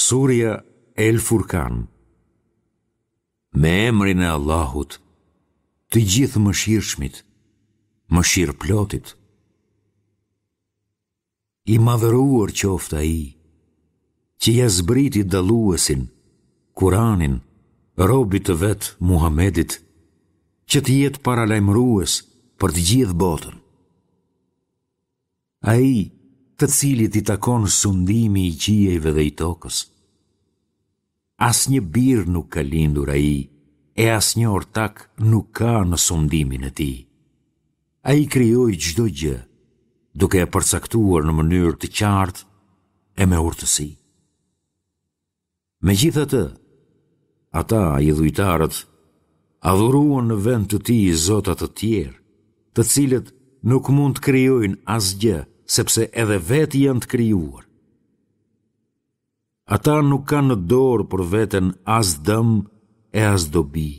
Surja El Furkan Me emrin e Allahut, të Gjithëmëshirshmit, mëshirëplotit. I madhëruar qoftë Ai, që ia zbriti dalluesin, Kuranin, robit të vet Muhamedit, që të jetë paralajmërues për të gjithë botën. Ai, të cilit i takon sundimi i qiejve dhe i tokës. Asnjë bir nuk ka lindur ai e asnjë ortak nuk ka në sundimin e tij. Ai krijoi çdo gjë, duke e përcaktuar në mënyrë të qartë e me urtësi. Megjithatë, ata, idhujtarët, adhuruan në vend të tij zota të tjerë, të cilët nuk mund të krijojnë asgjë, sepse edhe vetë janë të krijuar. Ata nuk kanë në dorë për veten as dëm e as dobi.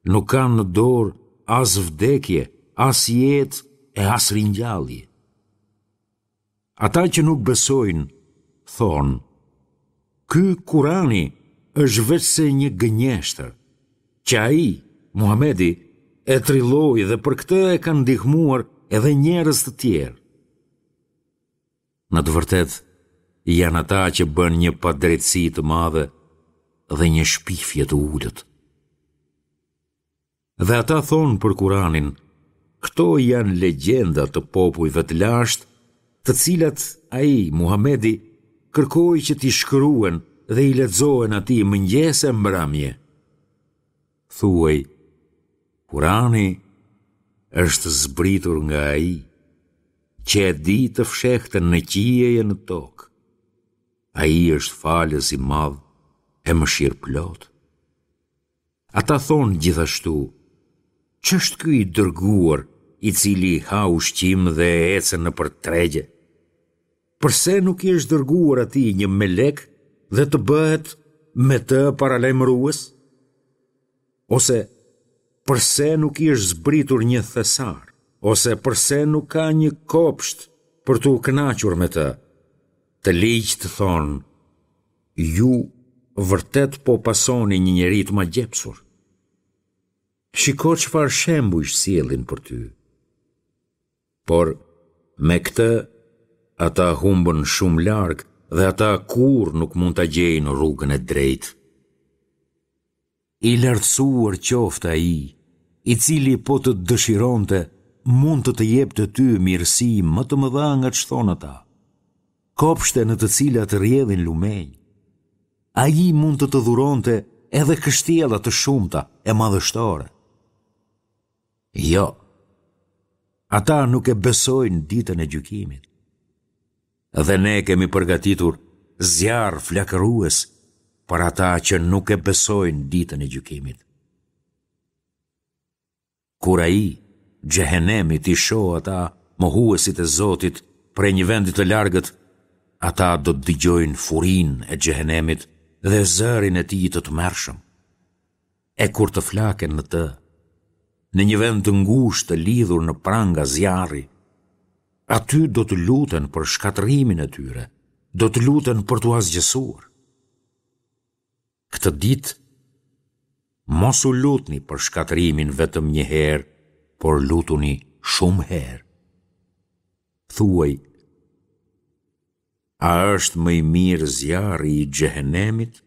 Nuk kanë në dorë as vdekje, as jetë e as ringjallje. Ata që nuk besojnë, thonë, ky Kurani është veçse një gënjeshtër, që ai, Muhamedi, e trilloi dhe për këtë e kanë ndihmuar edhe njerëz të tjerë. Në të vërtetë, janë ata që bënë një padrejtësi të madhe dhe një shpifje të ulët. Dhe ata thonë për Kuranin, këto janë legjenda të popujve të lashtë, të cilat ai, Muhamedi, kërkoi që t'i shkruhen dhe i lexohen atij mëngjes e mbrëmje. Thuaj, Kurani është zbritur nga ai, që e di të fshehtën në qiej e në tokë. Ai është falës i madh e mëshirëplotë. Ata thonë gjithashtu, ç'është ky i dërguar i cili ha ushqim dhe ecën nëpër tregje? Përse nuk i është dërguar atij një melek dhe të bëhet me të paralajmërues? Ose përse nuk i është zbritur një thesar? Ose përse nuk ka një kopsht për t'u kënaqur me të? Të ligjtë thonë, ju vërtet po pasoni një njeri të magjepsur. Shiko çfarë shembujsh sjellin për ty. Por, me këtë, ata humbën shumë larg dhe ata kurrë nuk mund ta gjejnë rrugën e drejtë. I lartësuar qoftë Ai, i cili po të dëshironte, mund të të jepte ty mirësi më të mëdha nga ç'thonë ata. Kopshte në të cilat rrjedhin lumenj. Ai mund të të dhuronte edhe kështjella të shumta e madhështore. Jo. Ata nuk e besojnë ditën e gjykimit. Dhe ne kemi përgatitur zjarr flakërues për ata që nuk e besojnë ditën e gjykimit. Kur ai, xhehenemi t'i shohë ata mohuesit e Zotit prej një vendi të largët, ata do të dëgjojnë furinë e xhehenemit dhe zërin e tij të tmerrshëm. E kur të flaken në të, në një vend të ngushtë të lidhur në pranga zjarri, aty do të luten për shkatërrimin e tyre, do të luten për t'u asgjësuar. Këtë ditë, mos u lutni për shkatërrimin vetëm një herë, por lutuni shumë herë. Thuaj, A është më i mirë zjarri i xhehenemit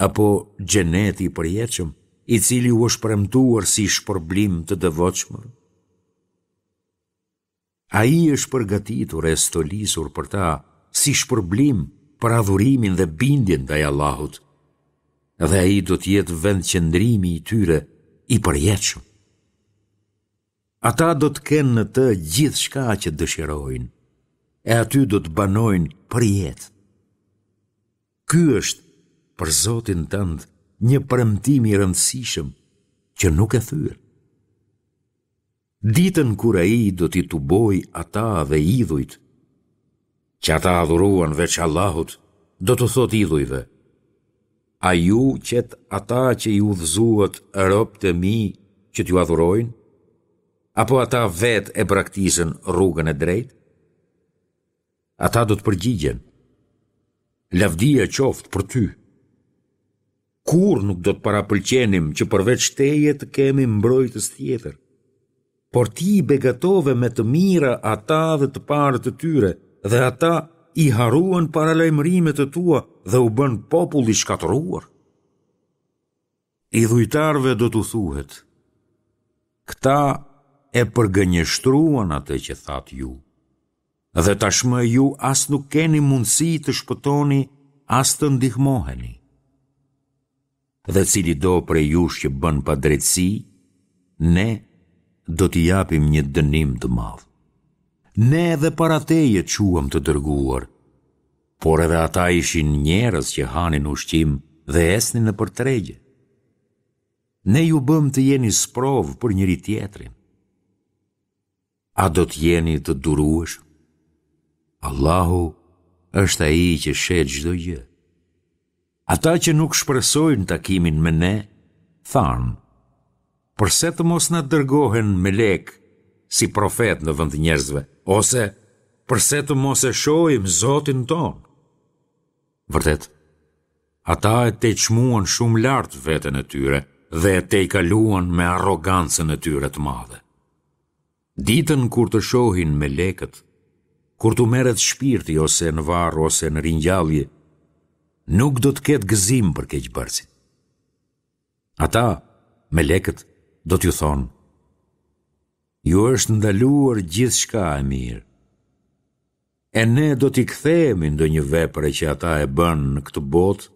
apo xheneti i përjetshëm, i cili u është premtuar si shpërblim të devotshmëve? Ai është përgatitur e stolisur për ta si shpërblim për adhurimin dhe bindjen ndaj Allahut, dhe ai do të jetë vendqëndrimi i tyre i përjetshëm. Ata do të kenë në të gjithçka që dëshirojnë, e aty do të banojnë përjetë. Ky është për Zotin tënd një premtim i rëndësishëm që nuk e thyen. Ditën kur ai do t'i tubojë ata dhe idhujt, që ata adhuruan veç Allahut, do t'u thotë idhujve, A ju qetë ata që i udhëzuat robët e mi që t'ju adhurojnë? Apo ata vetë e braktisën rrugën e drejtë? Ata do të përgjigjen. Lavdia qoftë për ty. Kurrë nuk do të parapëlqenim që përveç teje të kemi mbrojtës tjetër. Por ti i begatove me të mira ata dhe të parët e tyre dhe ata i harruan paralajmërimet e tua dhe u bënë popull i shkatërruar. Idhujtarëve do t'u thuhet, këta e përgënjeshtruan atë që thatë ju, dhe tashmë ju as nuk keni mundësi të shpëtoni as të ndihmoheni. Dhe cilido prej jush që bën padrejtësi, ne do t'i japim një dënim të madh. Ne edhe para teje çuam të dërguar, Por edhe ata ishin njerëz që hanin ushqim dhe ecnin nëpër tregje. Ne ju bëmë të jeni sprovë për njëri-tjetrin. A do të jeni të durueshëm? Allahu është ai që sheh çdo gjë. Ata që nuk shpresojnë takimin me ne, thanë, përse të mos na dërgohen melekë si profetë në vend të njerëzve, ose përse të mos e shohim Zotin tonë? Vërtet, ata e tejçmuan shumë lart veten e tyre dhe e tejkaluan me arrogancën e tyre të madhe. Ditën kur të shohin melekët, kur t'u merret shpirti ose në varr ose në ringjallje, nuk do të ketë gëzim për keqbërësit. Ata, melekët, do t'ju thonë, ju është ndaluar gjithçka e mirë. E ne do t'i kthehemi ndonjë vepre që ata e bënë në këtë botë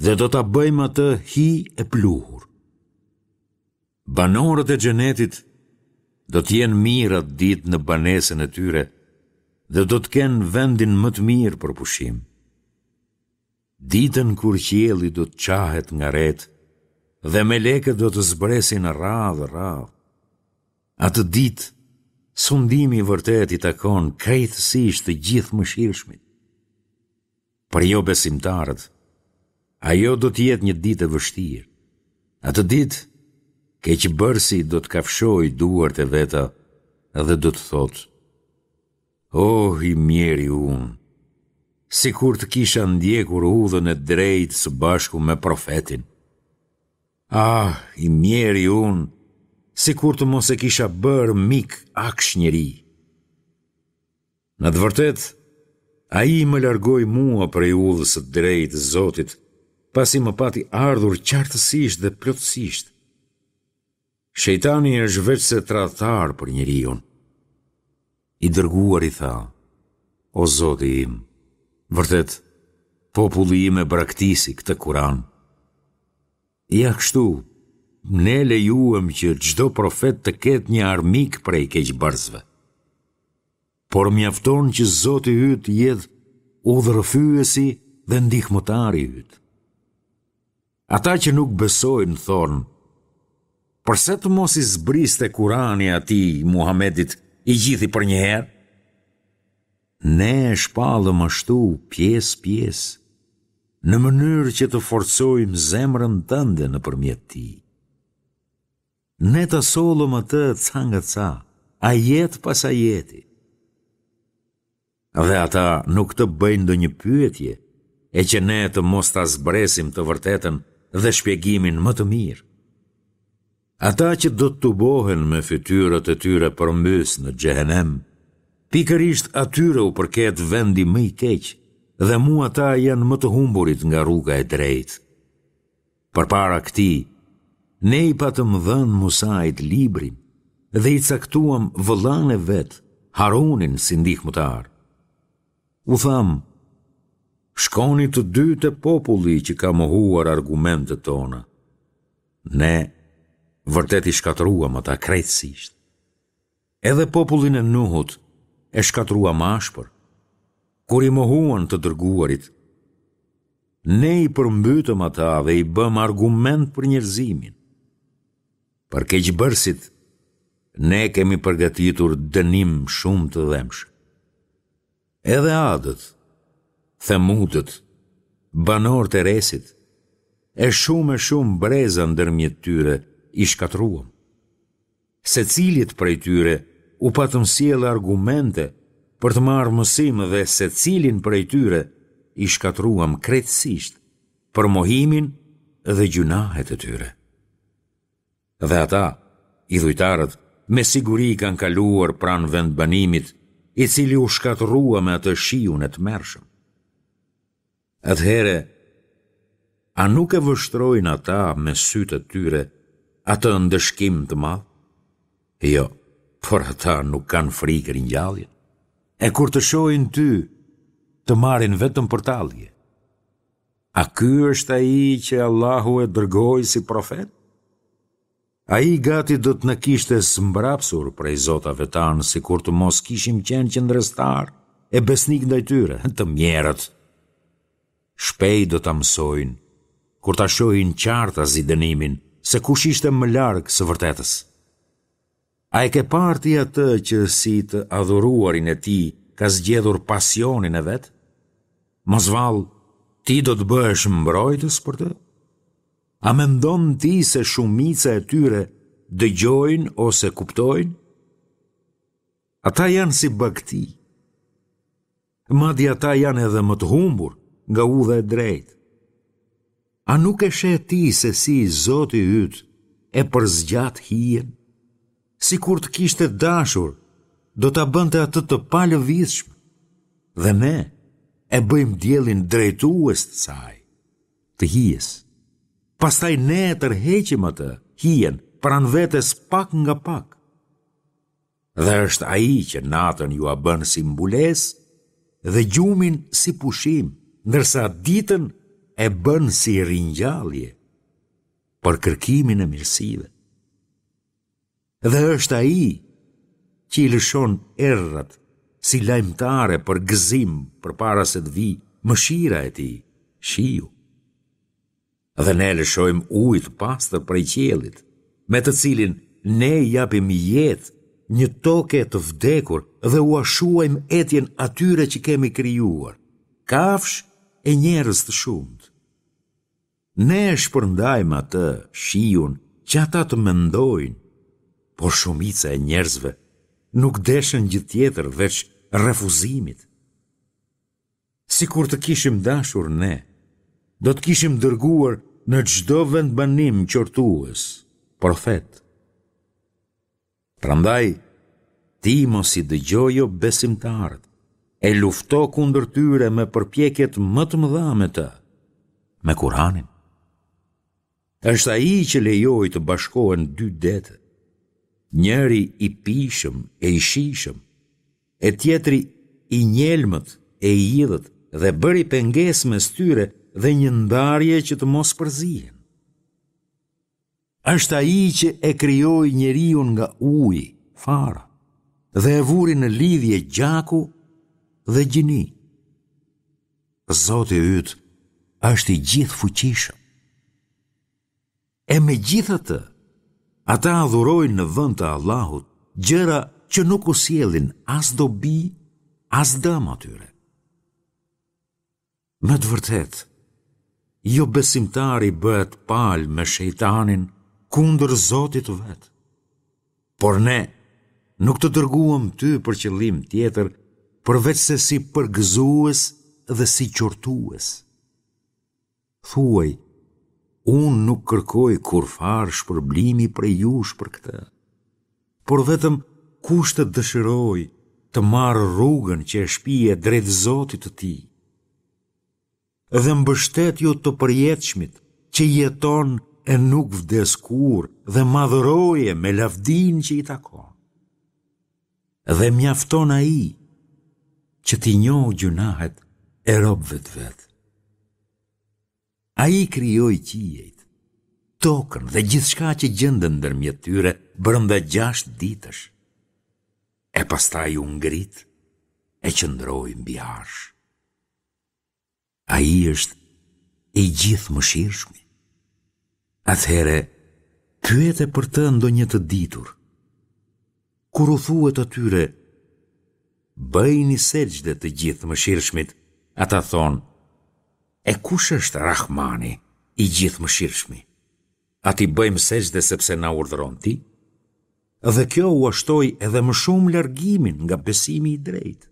dhe do ta bëjmë atë hi e pluhur. Banorët e Xhenetit do të jenë mirë atë ditë në banesën e tyre dhe do të kenë vendin më të mirë për pushim. Ditën kur qielli do të çahet nga retë dhe melekët do të zbresin radhë radhë. Atë ditë, sundimi i vërtetë i takon krejtësisht të Gjithëmëshirshmit. Për jobesimtarët, ajo do të jetë një ditë e vështirë. Atë ditë, keqbërësi do të kafshojë duart e veta dhe do të thotë, Oh, i mjeri unë, sikur të kisha ndjekur udhën e drejtë së bashku me profetin. Ah, i mjeri unë, sikur të mos e kisha bërë mik aksh njeri. Në të vërtetë, ai më largoi mua prej udhës së drejtë të Zotit, pasi më pati ardhur qartësisht dhe plotësisht. Shejtani është veçse tradhtar për njeriun. I dërguari tha, o Zoti im, vërtet, populli im e braktisi këtë Kuran. Ja kështu, ne lejuam që çdo profet të ketë një armik prej keqbërësve. Por mjafton që Zoti yt të jetë udhërrëfyesi dhe ndihmëtari yt. Ata që nuk besojnë thonë, përse të mos i zbriste Kurani atij Muhamedit i gjithi përnjëherë? Ne e shpallëm ashtu pjesë pjesë, në mënyrë që të forcojmë zemrën tënde nëpërmjet tij. Ne ta sollëm atë ca nga ca, ajet pas ajeti. Dhe ata nuk të bëjnë ndonjë pyetje, e që ne të mos ta zbresim të vërtetën dhe shpjegimin më të mirë. Ata që do të tubohen me fytyrat e tyre përmbys në xhehenem, pikërisht atyre u përket vendi më i keq dhe mu ata janë më të humburit nga rruga e drejtë. Përpara këtij, ne i patëm dhënë Musait librin dhe i caktuam vëllanë e vet, Harunin si ndihmëtar. U thamë, shkoni të dy te populli që ka mohuar argumentet tona. Ne vërtet i shkatërruam ata krejtësisht. Edhe popullin e Nuhut e shkatërruam ashpër, kur i mohuan të dërguarit. Ne i përmbytëm ata dhe i bëmë argument për njerëzimin. Për keqbërësit, ne kemi përgatitur dënim shumë të dhembshëm. Edhe Adët, Themudët, banorët e Resit, e shumë e shumë breza ndërmjet tyre i shkatërruam. Secilit prej tyre u patëm sjellë argumente për të marrë mësim dhe secilin prej tyre. i shkatërruam krejtësisht për mohimin dhe gjynahet e tyre. Dhe ata, idhujtarët, me siguri kanë kaluar pranë vendbanimit, i cili u shkatërrua me atë shiun e tmerrshëm. Atëherë, a nuk e vështrojnë ata me sytë e tyre atë ndëshkim të madh? Jo, por ata nuk kanë frikë ringjalljen. E kur të shohin ty, të marrin vetëm për tallje. A ky është ai që Allahu e dërgoi si profet? Ai gati do të na kishte zmbrapsur prej zotave tanë sikur të mos kishim qenë qëndrestarë e besnikë ndaj tyre, të mjerët. Shpejt do ta mësojnë, kur ta shohin qartazi dënimin, se kush ishte më larg së vërtetës. A e ke parë ti atë që si të adhuruarin e tij ka zgjedhur pasionin e vet? Mos vallë, ti do të bëhesh mbrojtës për të? A mendon ti se shumica e tyre dëgjojnë ose kuptojnë? Ata janë si bagëti. Madje ata janë edhe më të humbur nga udha e drejtë. A nuk e sheh ti se si Zoti yt e përzgjat hijen? Sikur të kishte dashur, do ta bënte atë të palëvizshme. Dhe ne e bëjmë diellin drejtues të saj. të hijes. Pastaj ne e tërheqim atë, hijen, pranë vetes pak nga pak. Dhe është ai që natën jua bën si mbulesë dhe gjumin si pushim, ndërsa ditën e bën si ringjallje për kërkimin e mirësive. Dhe është ai që i lëshon erërat si lajmëtare për gëzim përpara se të vijë mëshira e tij, shiu. Dhe ne lëshojmë ujë të pastër prej qiellit, me të cilin ne i japim jetë një toke të vdekur dhe ua shuajmë etjen atyre që kemi krijuar, kafshë e njerëz të shumtë. Ne e shpërndajmë atë, shiun, që ata të mendojnë, por shumica e njerëzve nuk deshën gjë tjetër veç refuzimit. Sikur të kishim dashur ne, do të kishim dërguar në çdo vendbanim qortues, profet. Prandaj, ti mos i dëgjo jobesimtarët, e lufto kundër tyre me përpjekjet më të mëdha me të, me Kuranin. Është ai që lejoi të bashkohen dy dete, njëri i pijshëm e i shijshëm, e tjetri i njelmët e i idhët dhe bëri pengesë mes tyre dhe një ndarje që të mos përzihen. Është ai që e krijoi njeriun nga uji, fara, dhe e vuri në lidhje gjaku dhe gjini. Zoti yt është i gjithëfuqishëm. E megjithatë, ata adhurojnë në vend të Allahut gjëra që nuk u sjellin as dobi, as dëm atyre. Me të vërtetë, jobesimtari bëhet palë me shejtanin kundër Zotit të vet. Por ne nuk të dërguam ty për qëllim tjetër përveçse si përgëzues dhe si qortues. Thuaj, unë nuk kërkoj kurrfarë shpërblimi prej jush për këtë, por vetëm kush të dëshirojë të marrë rrugën që e shpie drejt Zotit të tij. Dhe mbështetju të përjetshmit që jeton e nuk vdes kurrë dhe madhëroje me lavdinë që i takon. Dhe mjafton ai që t'i njohë gjynahet e robëve të vet. Ai krijoi qiejt, tokën dhe gjithçka që gjendet ndërmjet tyre brenda gjashtë ditësh. E pastaj u ngrit e qëndroi mbi arsh. Ai është i Gjithëmëshirshmi. Atëherë, pyete për të ndonjë të ditur. Kur u thuhet atyre, bëjini sexhde të Gjithëmëshirshmit, ata thonë, e kush është Rahmani, i Gjithëmëshirshmi? A t'i bëjmë sexhde sepse na urdhëron ti? Dhe kjo ua shtoi edhe më shumë largimin nga besimi i drejtë.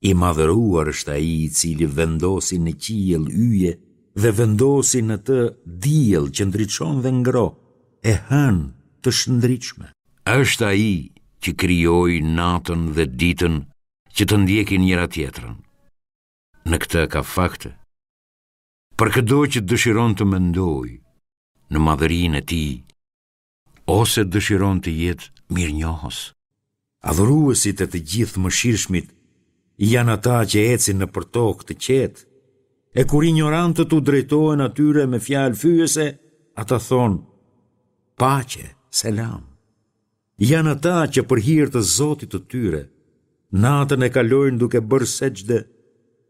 I madhëruar është Ai i cili vendosi në qiell yje dhe vendosi në të diell që ndriçon dhe ngroh, e hënë të shndritshme. Është Ai që krijoi natën dhe ditën që të ndjekin njëra-tjetrën. Në këtë ka fakte. Për këdo që dëshiron të mendojë në madhërinë e Tij, ose dëshiron të jetë mirënjohës. Adhuruesit e të Gjithëmëshirshmit janë ata që ecin nëpër tokë të qetë, e kur injorantët u drejtohen atyre me fjalë fyese, ata thonë, Paqe, selam. Janë ata që për hir të Zotit të tyre, natën e kalojnë duke bërë sexhde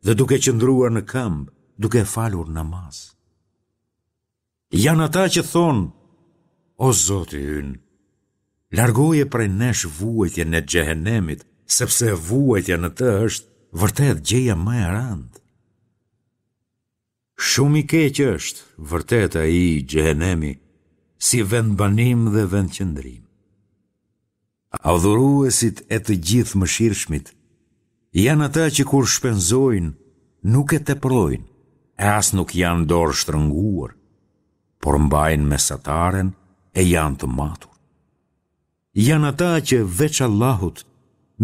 dhe duke qëndruar në këmbë, duke falur namaz. Janë ata që thonë, O Zoti ynë, largoje prej nesh vuajtjen e xhehenemit, sepse vuajtja në të është vërtet gjëja më e rëndë. Shumë i keq është, vërtet ai xhehenemi, si vendbanim dhe vendqëndrim. Adhuruesit e të Gjithëmëshirshmit janë ata që kur shpenzojnë nuk e teprojnë e as nuk janë dorështrënguar, por mbajnë mesataren e janë të matur. Janë ata që veç Allahut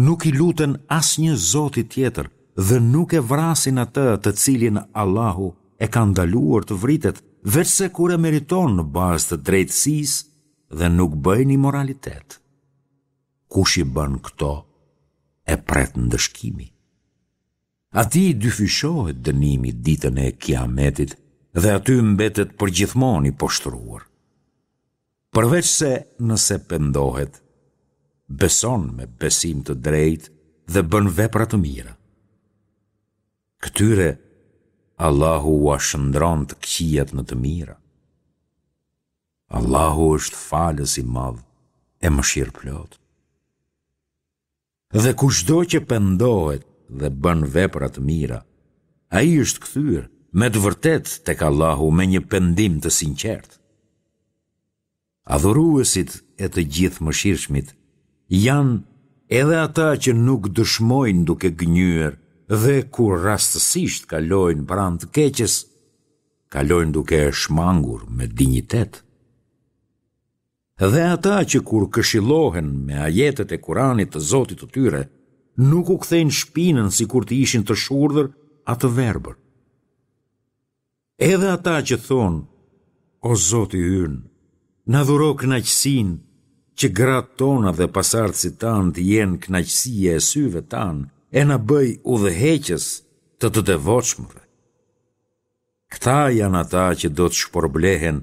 nuk i luten asnjë zoti tjetër dhe nuk e vrasin atë të cilin Allahu e ka ndaluar të vritet, veçse kur e meriton në bazë të drejtësisë dhe nuk bëjnë imoralitet. Kush i bën këto, e pret ndëshkimi. Atij i dyfishohet dënimi ditën e Kiametit dhe aty mbetet përgjithmonë i poshtëruar. Përveçse nëse pendohet, beson me besim të drejtë dhe bën vepra të mira. Këtyre Allahu ua shndërron të këqijat në të mira. Allahu është falës i madh e mëshirëplotë. Dhe kushdo që pendohet dhe bën vepra të mira, ai është kthyer me të vërtetë tek Allahu me një pendim të sinqertë. Adhuruesit e të Gjithëmëshirshmit janë edhe ata që nuk dëshmojnë duke gënjyer dhe kur rastësisht kalojnë pranë të keqes, kalojnë duke e shmangur me dinjitet. Dhe ata që kur këshillohen me ajetet e Kuranit të Zotit të tyre, nuk u kthejnë shpinën sikur të ishin të shurdhër a të verbër. Edhe ata që thonë, o Zoti ynë, na dhuro kënaqësinë që gratë tona dhe pasardhësit tanë të jenë kënaqësia e syve tanë e na bëj udhëheqës të të devotshmëve. Këta janë ata që do të shpërblehen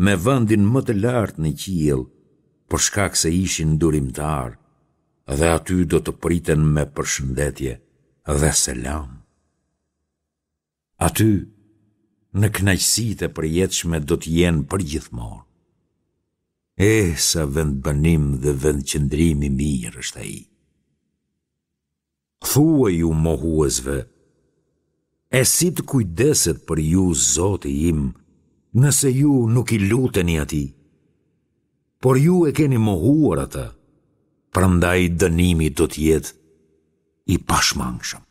me vendin më të lartë në qiell, për shkak se ishin durimtarë, dhe aty do të priten me përshëndetje dhe selam. Aty, në kënaqësitë e përjetshme do të jenë përgjithmonë. Eh, sa vendbanim dhe vendqëndrim i mirë është ai! Thuaju mohuesve, E si të kujdeset për ju Zoti im, nëse ju nuk i luteni Atij? Por ju e keni mohuar Atë, prandaj dënimi do të jetë i pashmangshëm.